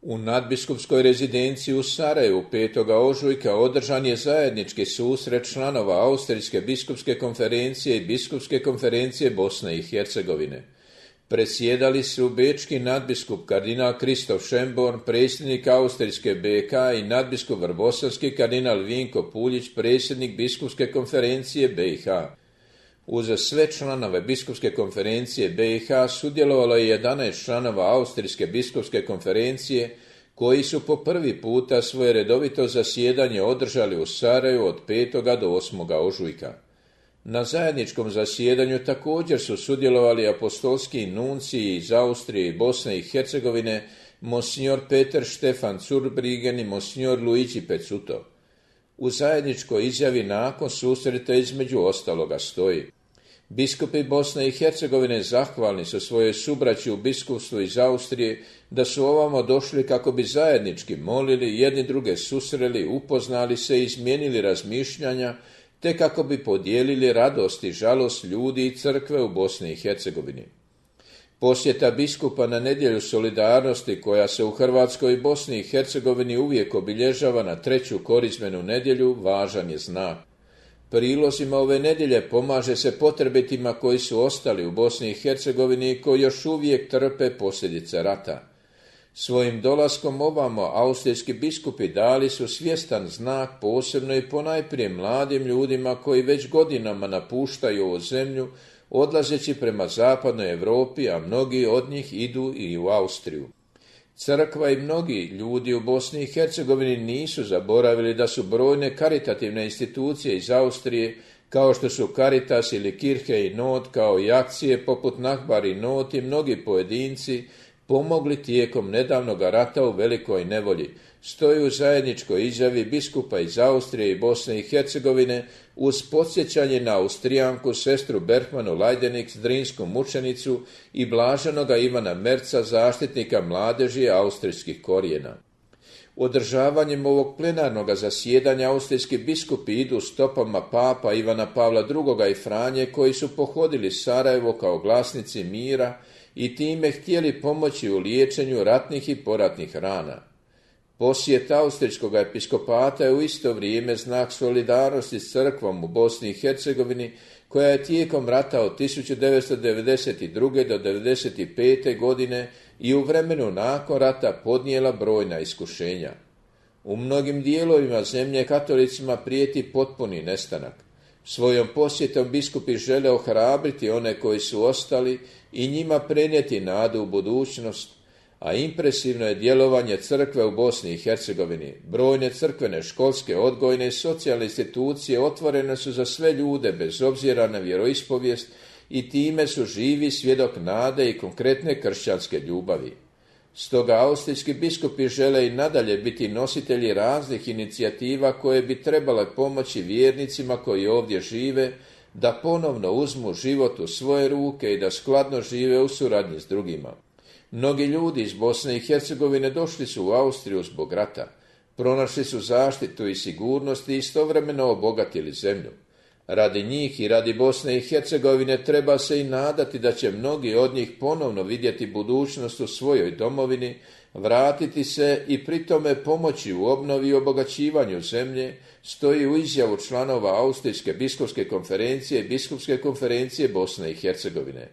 U nadbiskupskoj rezidenciji u Sarajevu 5. ožujka održan je zajednički susret članova Austrijske biskupske konferencije i Biskupske konferencije Bosne i Hercegovine. Predsjedali su bečki nadbiskup kardinal Kristof Šemborn, predsjednik Austrijske BK i nadbiskup vrbosanski kardinal Vinko Puljić, predsjednik Biskupske konferencije BiH. Uz sve članove Biskupske konferencije BiH sudjelovalo je 11 članova Austrijske biskupske konferencije koji su po prvi puta svoje redovito zasjedanje održali u Sarajevu od 5. do 8. ožujka. Na zajedničkom zasjedanju također su sudjelovali apostolski nunciji iz Austrije i Bosne i Hercegovine, monsignor Peter Štefan Zurbriggen i monsignor Luigi Pezzuto. U zajedničkoj izjavi nakon susreta između ostaloga stoji: biskupi Bosne i Hercegovine zahvalni su svojoj subraći u biskupstvu iz Austrije da su ovamo došli kako bi zajednički molili, jedni druge susreli, upoznali se i izmijenili razmišljanja, te kako bi podijelili radost i žalost ljudi i crkve u Bosni i Hercegovini. Posjeta biskupa na nedjelju solidarnosti, koja se u Hrvatskoj i Bosni i Hercegovini uvijek obilježava na 3. korizmenu nedjelju, važan je znak. Prilozima ove nedjelje pomaže se potrebitima koji su ostali u Bosni i Hercegovini i koji još uvijek trpe posljedice rata. Svojim dolaskom ovamo austrijski biskupi dali su svjestan znak posebno i ponajprije mladim ljudima koji već godinama napuštaju ovu zemlju, odlazeći prema zapadnoj Europi, a mnogi od njih idu i u Austriju. Crkva i mnogi ljudi u Bosni i Hercegovini nisu zaboravili da su brojne karitativne institucije iz Austrije, kao što su Caritas ili Kirche i Not, kao i akcije poput Nachbar i Not i mnogi pojedinci, pomogli tijekom nedavnog rata u velikoj nevolji, stoji u zajedničkoj izjavi biskupa iz Austrije i Bosne i Hercegovine uz podsjećanje na Austrijanku sestru Bergmanu Leidenix, drinsku mučenicu, i blaženoga Ivana Merca, zaštitnika mladeži austrijskih korijena. Održavanjem ovog plenarnog zasjedanja austrijski biskupi idu stopama papa Ivana Pavla II. I Franje, koji su pohodili Sarajevo kao glasnici mira i time htjeli pomoći u liječenju ratnih i poratnih rana. Posjet austrijskog episkopata je u isto vrijeme znak solidarnosti s crkvom u Bosni i Hercegovini, koja je tijekom rata od 1992. do 1995. godine i u vremenu nakon rata podnijela brojna iskušenja. U mnogim dijelovima zemlje katolicima prijeti potpuni nestanak. Svojom posjetom biskupi žele ohrabriti one koji su ostali i njima prenijeti nadu u budućnost, a impresivno je djelovanje crkve u Bosni i Hercegovini. Brojne crkvene, školske, odgojne i socijalne institucije otvorene su za sve ljude bez obzira na vjeroispovijest i time su živi svjedok nade i konkretne kršćanske ljubavi. Stoga austrijski biskupi žele i nadalje biti nositelji raznih inicijativa koje bi trebale pomoći vjernicima koji ovdje žive da ponovno uzmu život u svoje ruke i da skladno žive u suradnji s drugima. Mnogi ljudi iz Bosne i Hercegovine došli su u Austriju zbog rata, pronašli su zaštitu i sigurnost i istovremeno obogatili zemlju. Radi njih i radi Bosne i Hercegovine treba se i nadati da će mnogi od njih ponovno vidjeti budućnost u svojoj domovini, vratiti se i pri tome pomoći u obnovi i obogaćivanju zemlje, stoji u izjavu članova Austrijske biskupske konferencije i Biskupske konferencije Bosne i Hercegovine.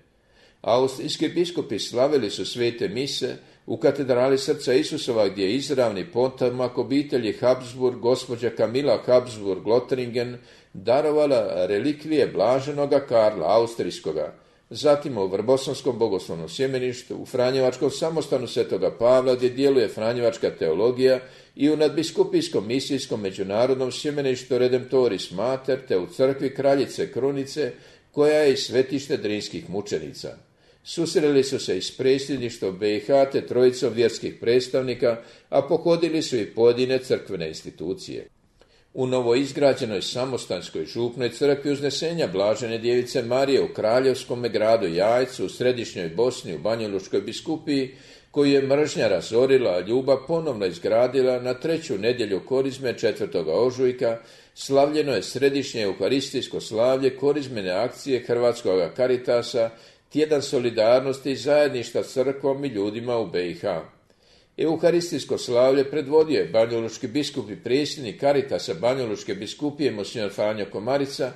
Austrijski biskupi slavili su svete mise u katedrali Srca Isusova, gdje je izravni potomak obitelji Habsburg, gospođa Kamila Habsburg-Lothringen, darovala relikvije blaženoga Karla Austrijskoga. Zatim u Vrbosanskom bogoslovnom sjemeništu, u Franjevačkom samostanu Svetoga Pavla, gdje djeluje Franjevačka teologija, i u nadbiskupijskom misijskom međunarodnom sjemeništu Redemptoris Mater, te u crkvi Kraljice Krunice, koja je i svetište drinskih mučenica. Susreli su se i s predsjedništvom BiH te trojicom vjerskih predstavnika, a pohodili su i pojedine crkvene institucije. U novoizgrađenoj samostanskoj župnoj crkvi Uznesenja Blažene djevice Marije u kraljevskom gradu Jajcu u središnjoj Bosni u Banjalučkoj biskupiji, koju je mržnja razorila, a ljubav ponovno izgradila, na 3. nedjelju korizme 4. ožujka slavljeno je središnje euharistijsko slavlje korizmene akcije Hrvatskog Caritasa, tjedan solidarnosti i zajedništva s crkvom i ljudima u BiH. Euharistijsko slavlje predvodio je banjalučki biskup i predsjednik Karitasa Banjalučke biskupije monsignor Franjo Komarica,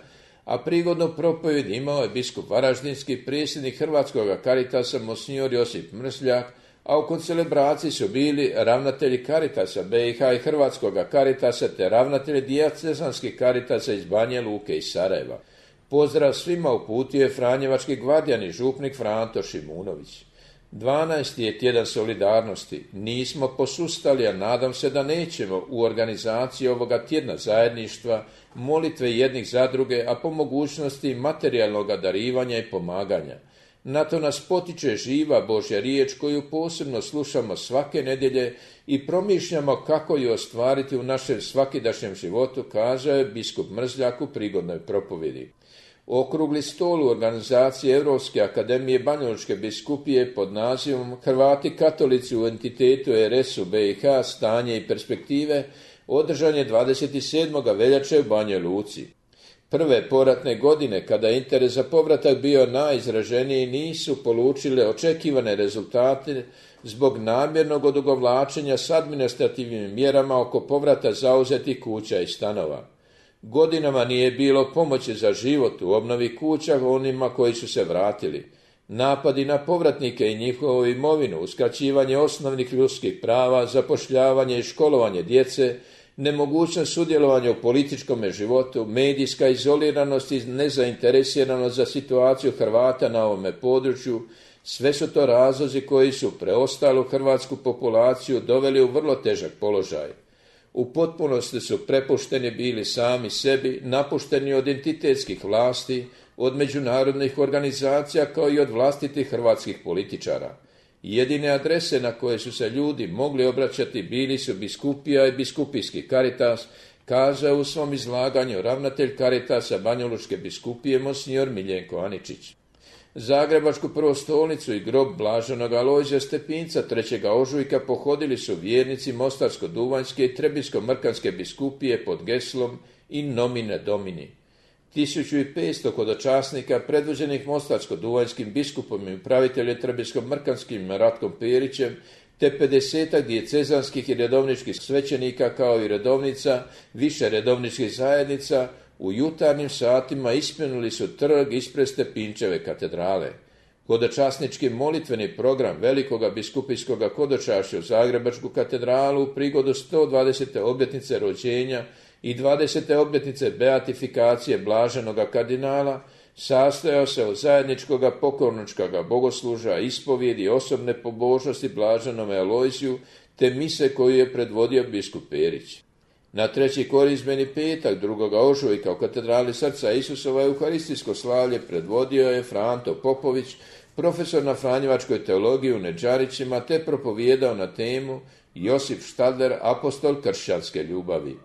a prigodnu propovjed imao je biskup Varaždinski, predsjednik Hrvatskog Karitasa monsignor Josip Mrzljak, a u koncelebraciji su bili ravnatelji Karitasa BiH i Hrvatskog Karitasa te ravnatelji dijacezanskih Karitasa iz Banja Luke i Sarajeva. Pozdrav svima uputio je franjevački gvardijan i župnik Franto Šimunović. 12. je tjedan solidarnosti. Nismo posustali, a nadam se da nećemo u organizaciji ovoga tjedna zajedništva, molitve jednih za druge, a po mogućnosti materijalnog darivanja i pomaganja. Na to nas potiče živa Božja riječ koju posebno slušamo svake nedjelje i promišljamo kako ju ostvariti u našem svakidašnjem životu, kazao je biskup Mrzljak u prigodnoj propovjedi. Okrugli stol u organizaciji Europske akademije Banjalučke biskupije pod nazivom Hrvati katolici u entitetu RS-u BiH, stanje i perspektive održan je 27. veljače u Banja Luci. Prve poratne godine, kada je interes za povratak bio najizraženiji, nisu polučile očekivane rezultate zbog namjernog odugovlačenja s administrativnim mjerama oko povrata zauzetih kuća i stanova. Godinama nije bilo pomoći za život u obnovi kuća onima koji su se vratili. Napadi na povratnike i njihovu imovinu, uskraćivanje osnovnih ljudskih prava, zapošljavanje i školovanje djece, nemogućnost sudjelovanja u političkom životu, medijska izoliranost i nezainteresiranost za situaciju Hrvata na ovome području, sve su to razlozi koji su preostalu hrvatsku populaciju doveli u vrlo težak položaj. U potpunosti su prepušteni bili sami sebi, napušteni od entitetskih vlasti, od međunarodnih organizacija kao i od vlastitih hrvatskih političara. Jedine adrese na koje su se ljudi mogli obraćati bili su biskupija i biskupijski Karitas, kazao u svom izlaganju ravnatelj Karitasa Banjalučke biskupije monsignor Miljenko Aničić. Zagrebačku prvostolnicu i grob blaženog Alojzija Stepinca 3. ožujka pohodili su vjernici Mostarsko-duvanjske i Trebinsko-mrkanske biskupije pod geslom In nomine Domini. 1500 hodočasnika predvođenih Mostarsko-duvanjskim biskupom i upraviteljem Trebinsko-mrkanskim Ratkom Perićem te 50 dijecezanskih i redovničkih svećenika kao i redovnica više redovničkih zajednica u jutarnjim satima ispunili su trg ispred Stepinčeve katedrale. Hodočasnički molitveni program Velikoga biskupijskoga hodočašća u Zagrebačku katedralu u prigodu 120. obljetnice rođenja i 20. obljetnice beatifikacije blaženoga kardinala sastojao se od zajedničkoga pokorničkoga bogosluža, ispovjedi, osobne pobožnosti blaženome Alojziju te mise koju je predvodio biskup Perić. Na treći korizmeni petak 2. ožujka u katedrali Srca Isusova euharistijsko slavlje predvodio je Franto Popović, profesor na franjevačkoj teologiji u Nedžarićima, te propovijedao na temu Josip Štadler, apostol kršćanske ljubavi.